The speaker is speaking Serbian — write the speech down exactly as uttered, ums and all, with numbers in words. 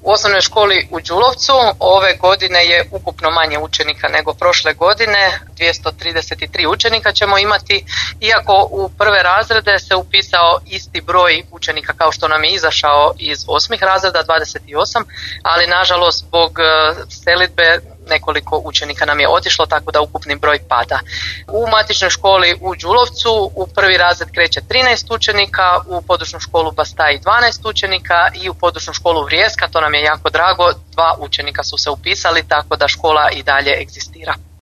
U osnovnoj školi u Đulovcu ove godine je ukupno manje učenika nego prošle godine, dvjesto trideset tri učenika ćemo imati, iako u prve razrede se upisao isti broj učenika kao što nam je izašao iz osmih razreda, dvadeset osam, ali nažalost zbog selidbe nekoliko učenika nam je otišlo, tako da ukupni broj pada. U matičnoj školi u Đulovcu u prvi razred kreće trinaest učenika, u područnu školu Bastaj dvanaest učenika i u područnu školu Vrijeska, to nam je jako drago, dva učenika su se upisali, tako da škola i dalje egzistira.